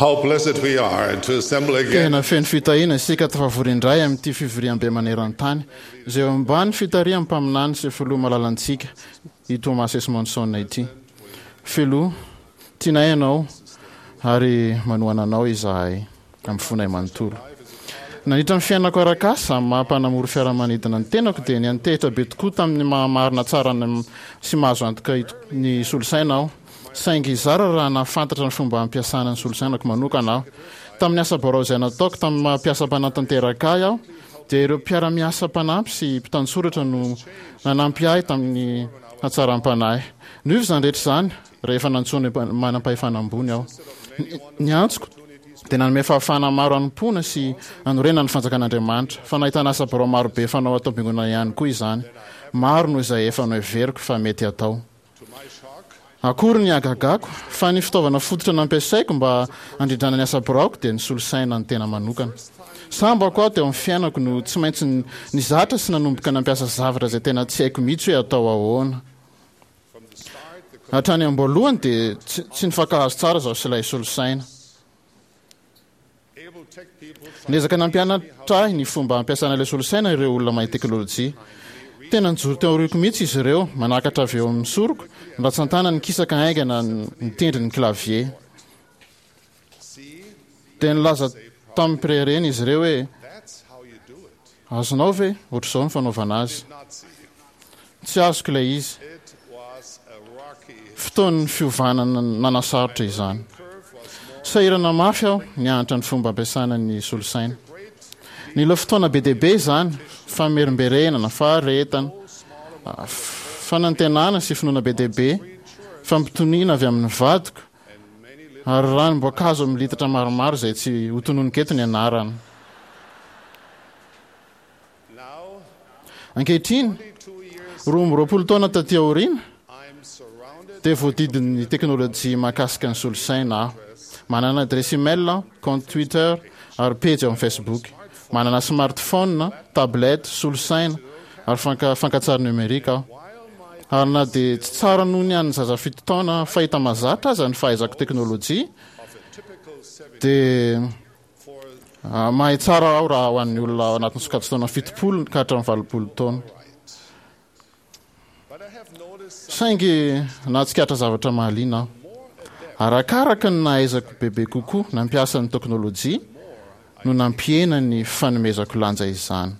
How blessed we are to assemble again. Tena feno fitahiana isika tafavory indray amin'ity fivoriambe maneran-tany, izay eo ambany fitarihan'ny mpaminany sy filoha malalantsika, i Thomas S. Monson ity. Filoha, tianay ianao ary manohana anao izahay amin'ny fonay manontolo. Nandritra ny fiainako arak'asa amin'ny maha mpanamory fiaramanidina ny tenako dia niantehitra be tokoa tamin'ny maha marina tsara sy mahazo antoka ny solosaina aho. Saingy zara raha nahafantatra ny fomba hampiasana ny solosainako manokana aho. Tamin'ny asa birao izay nataoko tamin'ny maha mpiasa mpanatanteraka ahy aho, dia ireo mpiara-miasa mpanampy sy mpitantsoratra no nanampy ahy tamin'ny hatsaram-panahy. Niova izany rehetra izany rehefa nantsoin'ny manam-pahefana ambony aho. Ny antsoko dia nanome fahafahana maro hanompoana sy hanorenana ny fanjakan'Andriamanitra, fa nahitana asa birao marobe fanao ato am-piangonana ihany koa izany, maro noho izay efa noheveriko fa mety hatao. Akory ny hagagako fa ny fitaovana fototra nampiasaiko mba handrindrana ny asa biraoko dia ny solosaina ny tena manokana. Sambako aho teo amin'ny fiainako no tsy maintsy nizatra sy nanomboka nampiasa zavatra izay tena tsy haiko mihitsy hoe atao ahoana. Hatrany am-boalohany dia tsy nifankahazo tsara izaho sy ilay solosaina. Niezaka nampianatra ahy ny fomba ampiasana ilay solosaina ireo olona mahay teknolojia. Tena nijoro teo aoriako mihitsy izy ireo, manakatra avy eo amin'ny soroko, ny ratsan-tanany nikisaka haingana nitendry ny clavier. Dia nilaza tamim-pireharehana izy ireo hoe, Azonao ve? Ohatr'izao ny fanaovana azy. Tsy azoko ilay izy. Fotoan'ny fiovana nanasarotra izany. Sahirana mafy aho nianatra ny fomba ampiasana ny solosaina. Nila fotoana be dia be izany, famerimberenana, faharetana, fanantenana sy finoana be dia be, fampitoniana avy amin'ny vadiko, ary ranom-boankazo amin'ny litatra maromaro izay tsy hotononiko eto ny anarany. Ankehitriny, 22 taona taty aoriana, dia voadidin'ny teknolojia mahakasika ny solosaina aho. Manana adiresy email aho, kaonty Twitter, ary pejy ao amin'ny Facebook. Manana smartphone, tablette, solosaina, ary fankantsary nomerika aho. Ary na dia tsy tsara noho ny an'ny zaza fito taona fahita mahazatra aza ny fahaizako teknolojia, dia Mahay tsara aho raha ho an'ny olona ao anatin'ny sokajin-taona 70 ka hatramin'ny 80 taona. Saingy nahatsikaritra zavatra mahaliana aho. Arakaraka ny nahaizako bebe kokoa nampiasa ny teknolojia no nampihena ny fanomezako lanja izany.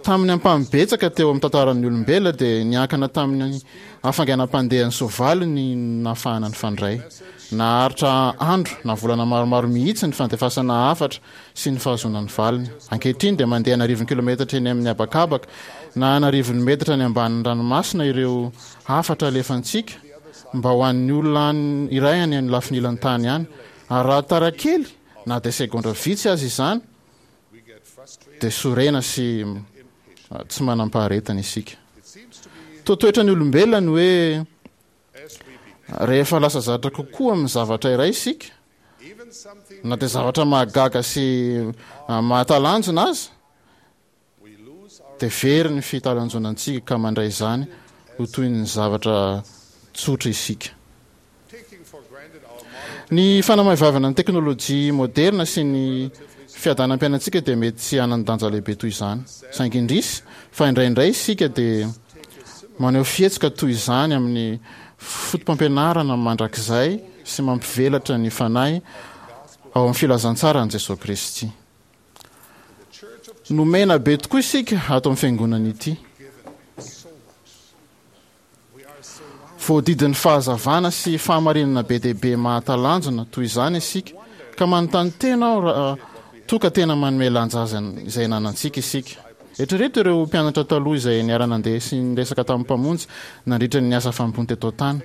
Tamin'ny ampahany betsaka teo amin'ny tantaran'ny olombelona dia niankina tamin'ny hafainganam-pandehan'ny soavaly ny nahafahana nifandray. Naharitra andro na volana maromaro mihitsy ny fandefasana hafatra sy ny fahazoana ny valiny. Ankehitriny dia mandeha an'arivony kilometatra eny amin'ny habakabaka na an'arivony metatra any ambanin'ny ranomasina ireo hafatra alefantsika mba ho an'ny olona iray any amin'ny lafiny ilan'ny tany any. Ary raha tara kely na dia segondra vitsy aza izany, dia sorena sy tsy manam-paharetana isika. Toa toetran'ny olombelona ny hoe rehefa lasa zatra kokoa amin'ny zavatra iray isika, na dia zavatra mahagaga sy mahatalanjona aza, dia very ny fitalanjonantsika ka mandray izany ho toy ny zavatra tsotra isika. Ny fanamaivavana ny teknolojia moderina sy ny fiadanam-piainantsika dia mety tsy hanan-danja lehibe toy izany. Saingy indrisy fa indraindray isika dia maneho fihetsika toy izany amin'ny fotopampianarana mandrakizay sy mampivelatra ny fanahy ao amin'ny filazantsaran'i Jesoa Kristy. Nomena be tokoa isika ato amin'ny fiangonana ity. Voadidin'ny fahazavana sy fahamarinana be dia be mahatalanjona toy izany isika, ka manontany tena aho raha toa ka tena manome lanja azy izay ananantsika isika. Eritrereto ireo mpianatra taloha izay niara-nandeha sy niresaka tamin'ny Mpamonjy nandritra ny asa fanompoany teto an-tany.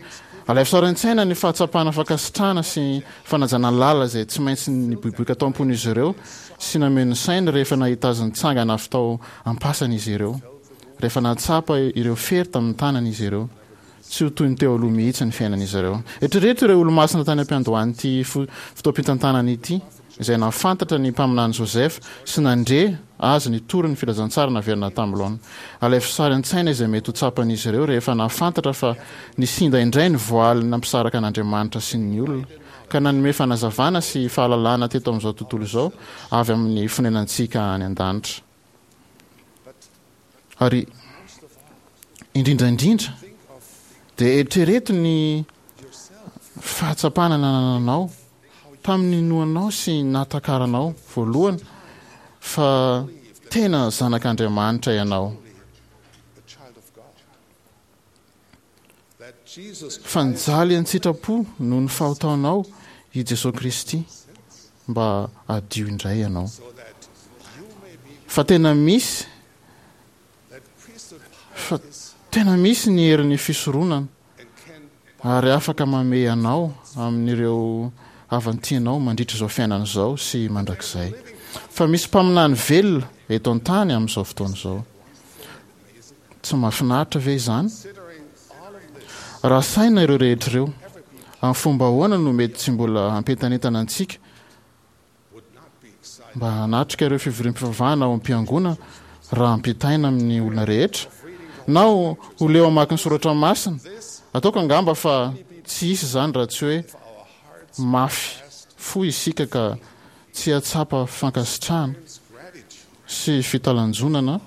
Alaivo sary an-tsaina ny fahatsapana fankasitrahana sy fanajana lalina izay tsy maintsy niboiboika tao am-pon'izy ireo sy nameno ny sainy rehefa nahita azy nitsangana avy tao am-pasana izy ireo, rehefa nahatsapa ireo fery tamin'ny tanany izy ireo. Tsy ho toy ny teo aloha mihitsy ny fiainan'izy ireo. Eritrereto ireo olomasina tany am-piandohan'ity fotoam-pitantanana ity. izay nahafantatra ny Mpaminany Joseph sy nandre azy nitory ny filazantsara naverina tamin'ny laoniny. Alaivo sary an-tsaina izay mety ho tsapan'izy ireo rehefa nahafantatra fa nisinda indray ny voaly nampisaraka an'Andriamanitra sy ny olona, ka nanome fanazavana sy fahalalana teto amin'izao tontolo izao avy amin'ny fonenantsika any an-danitra. Ary indrindra indrindra, dia eritrereto ny fahatsapana nanananao tamin'ny ninoanao sy nahatakaranao voalohany fa tena zanak'Andriamanitra ianao. Fa nijaly an-tsitrapo noho ny fahotanao i Jesoa Kristy mba hadio indray ianao. Fa tena misy fa tena misy ny herin'ny fisoronana ary afaka mamehy anao amin'ireo havan-tianao mandritra izao fiainana izao sy mandrakizay. Fa misy mpaminany velona eto an-tany amin'izao fotoana izao. Tsy mahafinaritra ve izany? Raha saina ireo rehetra ireo, amin'ny fomba ahoana no mety tsy mbola hampientanentana antsika mba hanatrika ireo fivoriam-pivavahana ao am-piangonana raha ampitaina amin'ny olona rehetra? Na ho leo hamaky ny soratra masina? Ataoko angamba fa tsy hisy izany raha tsy hoe mafy fo isika ka tsy hahatsapa fankasitrahana sy fitalanjonana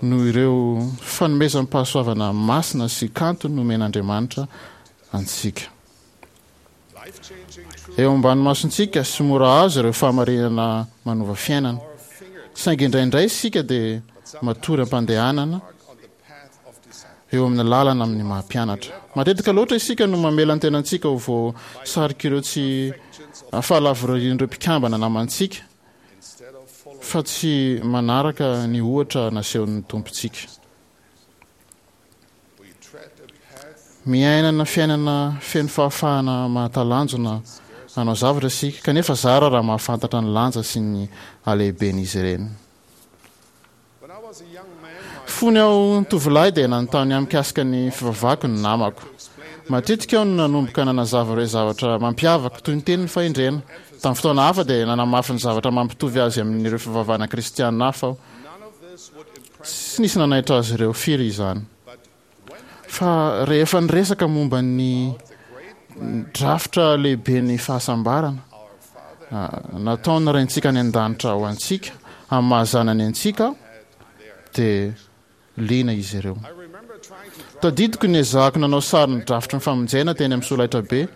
noho ireo fanomezam-pahasoavana masina sy kanto nomen'Andriamanitra antsika. Eo ambany masontsika sy mora azo ireo fahamarinana manova fiainana. Saingy indraindray isika dia matory am-pandehanana eo amin'ny lalana amin'ny maha mpianatra. Matetika loatra isika no mamela ny tenantsika ho voasarik'ireo tsy fahalavorarian'ireo mpikambana namantsika fa tsy manaraka ny ohatra nasehon'ny Tompontsika. Miainana fiainana feno fahafahana mahatalanjona hanao zavatra isika, kanefa zara raha mahafantatra ny lanja sy ny halehiben'izy ireny. Fony aho tovolahy dia nanontany ahy mikasika ny fivavahako ny namako. Matetika aho no nanomboka nanazava ireo zavatra mampiavaka, toy ny tenin'ny fahendrena. Tamin'ny fotoana hafa dia nanamafy ny zavatra mampitovy azy amin'ireo fivavahana kristiana hafa aho. Tsy nisy nanaitra azy ireo firy izany. Fa rehefa niresaka momba ny drafitra lehiben'ny fahasambarana nataon'ny Raintsika any An-danitra ho antsika amin'ny maha-zanany antsika aho, dia liana izy ireo. Tadidiko ny niezahako nanao sary ny drafitry ny famonjena teny amin'ny solaitrabe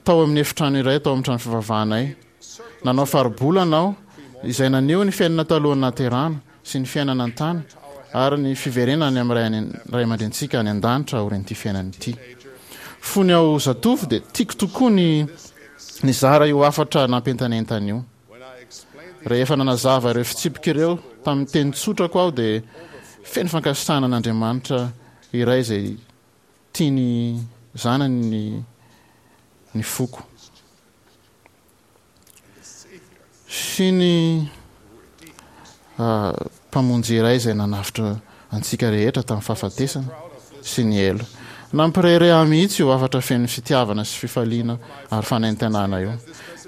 tao amin'ny efitrano iray tao amin'ny trano fivavahanay. Nanao faribolana aho izay naneho ny fiainana talohan'ny nahaterahana sy ny fiainana an-tany ary ny fiverenana any amin'ny Ray aman-dRenintsika any an-danitra aorian'ity fiainana ity. Fony aho zatovo dia tiako tokoa ny nizara io hafatra nampientanentana io. Rehefa nanazava ireo fitsipika ireo tamin'ny teny tsotrako aho dia feno fankasitrahana an'Andriamanitra iray izay tia ny zanany ny ny foko. Sy ny Mpamonjy iray izay nanavotra antsika rehetra tamin'ny fahafatesana sy ny helo. Nampirehareha ahy mihitsy io hafatra feno fitiavana sy fifaliana ary fanentanana io.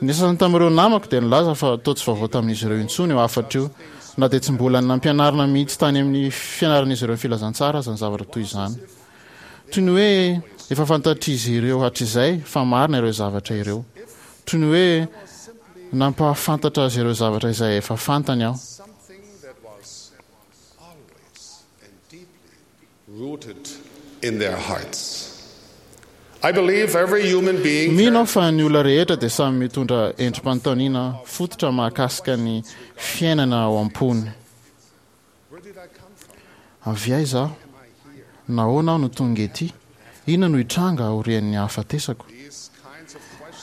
Ny sasany tamin'ireo namako dia nilaza fa toa tsy vaovao tamin'izy ireo intsony io hafatra io, na dia tsy mbola nampianarina mihitsy tany amin'ny fianaran'izy ireo ny filazantsara aza ny zavatra toy izany. Toy ny hoe efa fantatr'izy ireo hatrizay fa marina ireo zavatra ireo. Toy ny hoe nampahafantatra azy ireo zavatra izay efa fantany aho. Mino aho fa ny olona rehetra dia samy mitondra endri-panontaniana fototra mahakasika ny fiainana ao am-pony. Avy aiza aho? Nahoana aho no tonga ety? Inona no hitranga aorian'ny hahafatesako?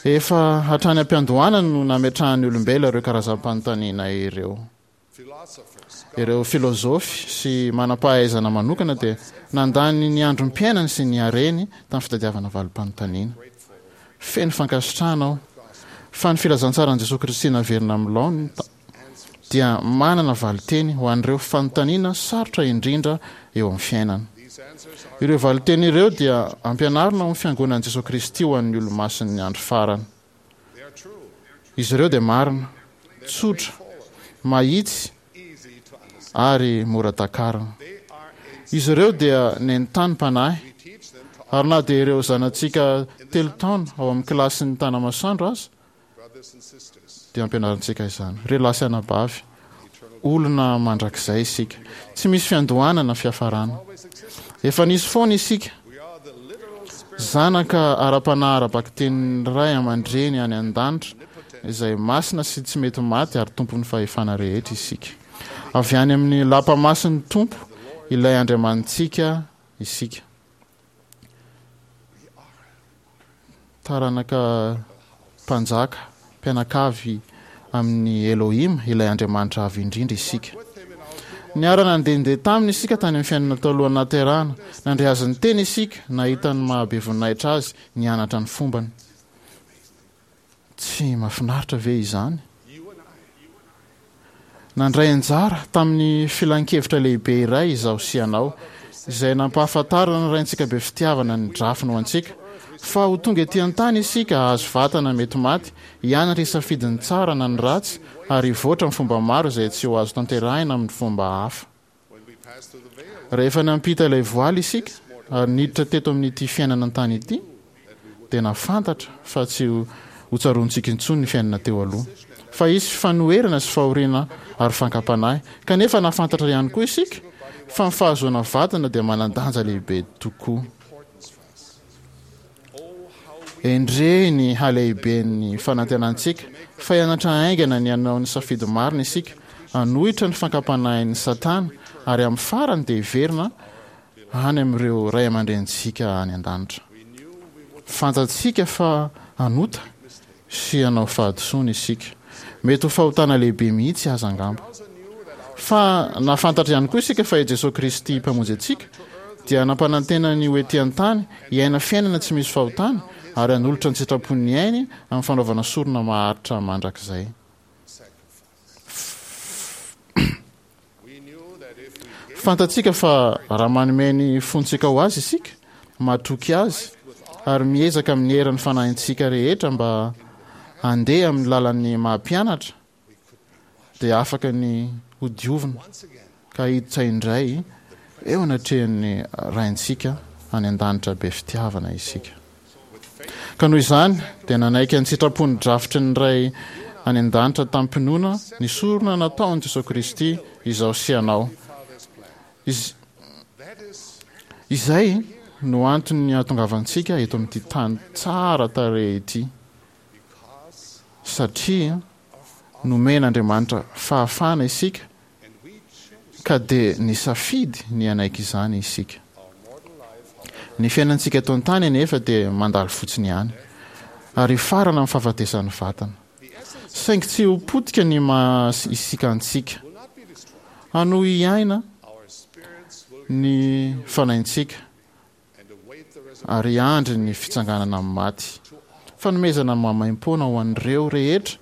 Efa hatrany am-piandohana no nametrahan'ny olombelona ireo karazam-panontaniana ireo. Ireo filozofy sy manam-pahaizana manokana dia nandany ny androm-piainany sy ny hareny tamin'ny fitadiavana valim-panontaniana. Feno fankasitrahana aho fa ny filazantsaran'i Jesoa Kristy naverina amin'ny laoniny dia manana valinteny ho an'ireo fanontaniana sarotra indrindra eo amin'ny fiainana. Ireo valinteny ireo dia ampianarina ao amin'ny Fiangonan'i Jesoa Kristy ho an'ny Olomasin'ny Andro Farany. Izy ireo dia marina, tsotra, mahitsy ary mora takarina. Izy ireo dia nentanim-panahy, ary na dia ireo zanatsika telo taona ao amin'ny kilasin'ny Tanamasoandro aza dia ampianarintsika izany. Ry lahy sy anabavy, olona mandrakizay isika. Tsy misy fiandohana na fiafarana. Efa nisy foana isika. Zanaka ara-panahy ara-bakitenin'ny Ray aman-dreny any an-danitra izay masina sy tsy mety maty ary tompon'ny fahefana rehetra isika. Avy any amin'ny lapa masin'ny Tompo, ilay Andriamanitsika, isika. Taranaka mpanjaka, mpianakavy amin'i Elohim, ilay Andriamanitra Avo Indrindra, isika. Niara-nandehandeha taminy isika tany amin'ny fiainana talohan'ny nahaterahana. Nandre azy niteny isika, nahita ny maha-be voninahitra azy, nianatra ny fombany. Tsy mahafinaritra ve izany? Nandray anjara tamin'ny filan-kevitra lehibe iray izaho sy ianao, izay nampahafantaran'ny Raintsika be fitiavana ny drafiny ho antsika, fa ho tonga ety an-tany isika hahazo vatana mety maty, hianatra hisafidy ny tsara na ny ratsy, ary hivoatra amin'ny fomba maro izay tsy ho azo tanterahina amin'ny fomba hafa. Rehefa nampita ilay voaly isika ary niditra teto amin'ity fiainana an-tany ity, dia nahafantatra fa tsy hotsaroantsika intsony ny fiainana teo aloha, fa hisy fanoherana sy fahoriana ary fankam-panahy. Kanefa nahafantatra ihany koa isika fa ny fahazoana vadina dia manan-danja lehibe tokoa. Endrey ny halehiben'ny fanantenantsika fa hianatra haingana ny hanao ny safidy marina isika, hanohitra ny fankam-panahin'i Satana, ary amin'ny farany dia hiverina any amin'ireo ray aman-drenintsika any an-danitra. Fantatsika fa hanota sy hanao fahadisoana isika. Mety ho fahotana lehibe mihitsy aza angamba. Fa nahafantatra ihany koa isika fa i Jesoa Kristy Mpamonjy antsika dia nampanantena ny ho ety an-tany hiaina fiainana tsy misy fahotana ary hanolotra ny sitrapon'ny ainy amin'ny fanaovana sorona maharitra mandrakizay. Fantatsika fa raha manome ny fontsika ho Azy isika, matoky Azy, ary miezaka amin'ny herin'ny fanahintsika rehetra mba handeha amin'ny lalan'ny maha-mpianatra, dia afaka ny hodiovina ka hiditra indray eo anatrehan'ny Raintsika any an-danitra be fitiavana isika. Ka noho izany dia nanaiky an-tsitrapo ny drafitry ny Ray any an-danitra tamim-pinoana ny sorona nataon'i Jesoa Kristy izaho sy ianao. Iz, izay no antony hahatongavantsika eto amin'ity tany tsara tarehy ity, satria nomen'Andriamanitra fahafahana isika ka dia nisafidy ny hanaiky izany isika. Ny fiainantsika eto an-tany anefa dia mandalo fotsiny ihany, ary hifarana amin'ny fahafatesan'ny vatana. Saingy tsy ho potika ny maha isika antsika. Hanohy hiaina ny fanahintsika ary hiandry ny fitsanganana amin'ny maty. Fanomezana maimaimpoana ho an'ireo rehetra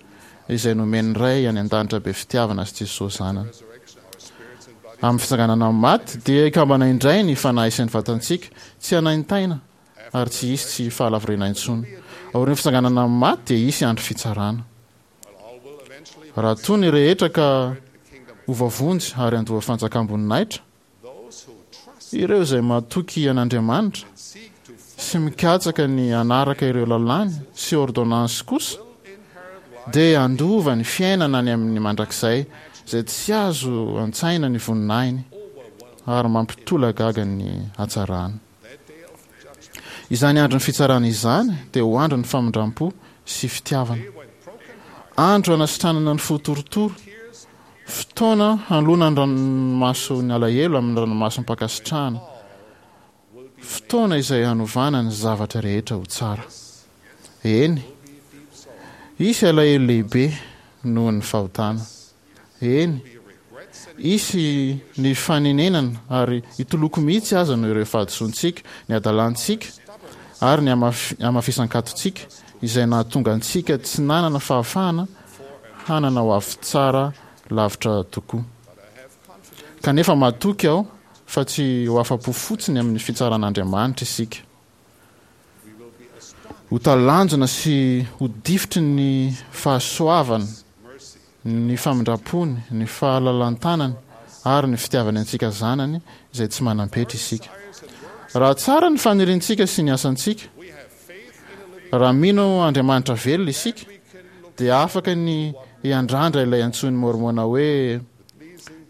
izay nomen'ny Ray any An-danitra be fitiavana sy Jesosy Zanany. Amin'ny fitsanganana amin'ny maty, dia hikambana indray ny fanahy sy ny vatantsika, tsy hanaintaina ary tsy hisy tsy fahalavorariana intsony. Aorian'ny fitsanganana amin'ny maty dia hisy andro fitsarana. Raha toa ny rehetra ka ho voavonjy ary handoa fanjakam-boninahitra, Ireo izay matoky an'Andriamanitra sy mikatsaka ny hanaraka ireo lalàny sy ôrdônansy kosa dia handova ny fiainana any amin'ny mandrakizay izay tsy azo an-tsaina ny voninahiny ary mampitolagaga ny hatsarany. Izany andron'ny fitsarana izany dia ho andron'ny famindram-po sy fitiavana. Andro hanasitranana ny fo torotoro Fotoana hanoloana ny ranomason'ny alahelo amin'ny ranomasom-pankasitrahana. Fotoana izay hanovana ny zavatra rehetra ho tsara. Eny, hisy alahelo lehibe noho ny fahotana. Eny, hisy ny fanenenana ary hitoloko mihitsy aza noho ireo fahadisoantsika, ny hadalantsika ary ny hamafisan-katontsika izay nahatonga antsika tsy nanana fahafahana hanana ho avy tsara lavitra tokoa. Kanefa matoky aho fa tsy ho afa-po fotsiny amin'ny fitsaran'Andriamanitra isika. Ho talanjona sy ho difotry ny fahasoavana, ny famindram-pony, ny fahalalan-tanany ary ny fitiavany antsika zanany izay tsy manam-petra isika. Raha tsara ny faniriantsika sy ny asantsika, raha mino Andriamanitra velona isika, dia afaka ny hiandrandra ilay antsoin'i Môrmôna hoe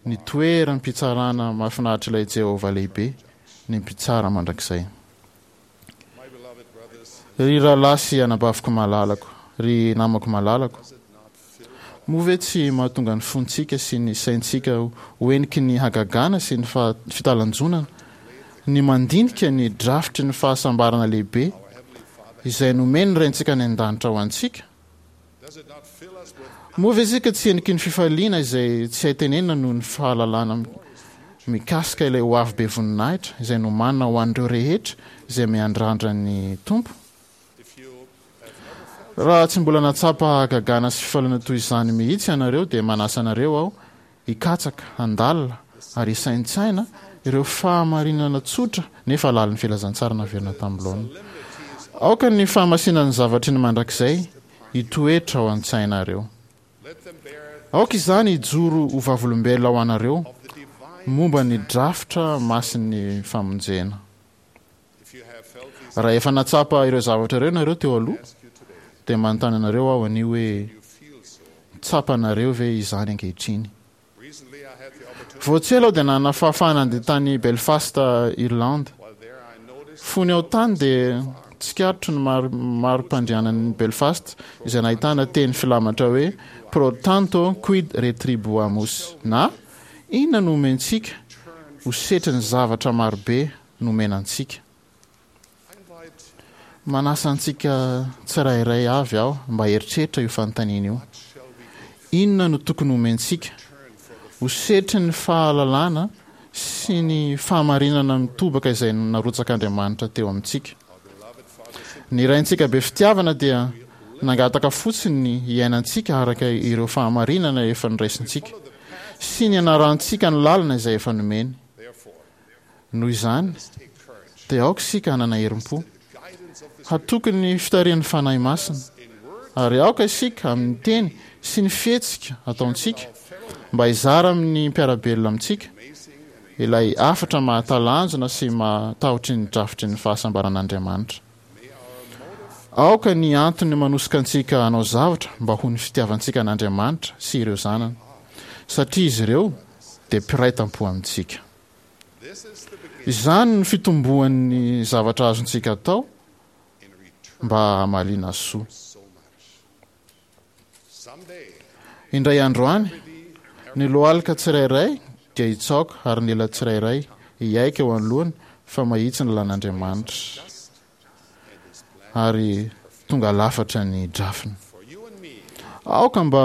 ny toeram-pitsarana mahafinaritr'ilay Jehovah lehibe, ny Mpitsara mandrakizay. Ry rahalahy sy anabaviko malalako, ry namako malalako, moa ve tsy mahatonga ny fontsika sy ny saintsika ho heniky ny hagagana sy ny fitalanjonana ny mandinika ny drafitry ny fahasambarana lehibe izay nomen'ny Raintsika any An-danitra ho antsika? Moa ve isika tsy heniky ny fifaliana izay tsy hay tenenina noho ny fahalalana mikasika ilay ho avy be voninahitra izay nomanina ho an'ireo rehetra izay miandrandra ny Tompo? Raha tsy mbola nahatsapa hagagana sy fifaliana toy izany mihitsy ianareo dia manasa anareo aho hikatsaka, handalina ary hisaintsaina ireo fahamarinana tsotra nefa lalin'ny filazantsara naverina tamin'ny laoniny. Aoka ny fahamasinan'ny zavatry ny mandrakizay hitoetra ao an-tsainareo. Aoka izany hijoro ho vavolombelona ho anareo momba ny drafitra masin'ny famonjena. Raha efa nahatsapa ireo zavatra ireo ianareo teo aloha, dia manontany anareo aho anio hoe, Tsapanareo ve izany ankehitriny? Vao tsy ela aho dia nanana fahafahana handeha tany Belfast, Irlande. Fony aho tany dia tsikaritro ny mari-pandrianan'i Belfast izay nahitana teny filamatra hoe Pro tanto quid retribuamus na Inona no omentsika ho setrin'ny zavatra marobe nomena antsika. Manasa antsika tsirairay avy aho mba hieritreritra io fanontaniana io. Inona no tokony homentsika ho setrin'ny fahalalana sy ny fahamarinana mitobaka izay narotsak'Andriamanitra teo amintsika? Ny Raintsika be fitiavana dia nangataka fotsiny ny hiainantsika araka ireo fahamarinana efa noraisintsika sy ny hanarahantsika ny lalana izay efa nomeny. Noho izany, dia aoka isika hanana herim-po, hatoky ny fitarihan'ny Fanahy Masina, ary aoka isika amin'ny teny sy ny fihetsika ataontsika mba hizara amin'ny mpiara-belona amintsika ilay hafatra mahatalanjona sy mahatahotry ny drafitry ny fahasambaran'Andriamanitra. Aoka ny antony manosika antsika hanao zavatra mba ho ny fitiavantsika an'Andriamanitra sy ireo zanany, satria izy ireo dia mpiray tampo amintsika. Izany no fitomboan'ny zavatra azontsika atao mba hamaliana soa. Indray andro any, ny lohalika tsirairay dia hitsaoka ary ny ela tsirairay hiaiky eo anoloany fa mahitsy ny lalàn'Andriamanitra ary tonga lafatra ny drafiny. Aoka mba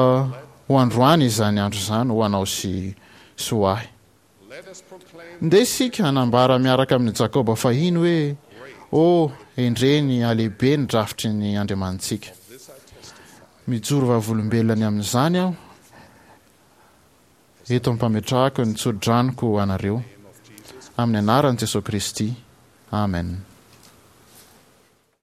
ho androany izany andro izany ho anao sy sy ho ahy. Ndeha isika hanambara miaraka amin'i Jakoba fahiny hoe, O, endrey ny halehibe ny drafitry ny Andriamanitsika! Mijoro vavolombelona ny amin'izany aho eto am-pametrahako ny tso-dranoko ho anareo, amin'ny anaran'i Jesoa Kristy, Amen.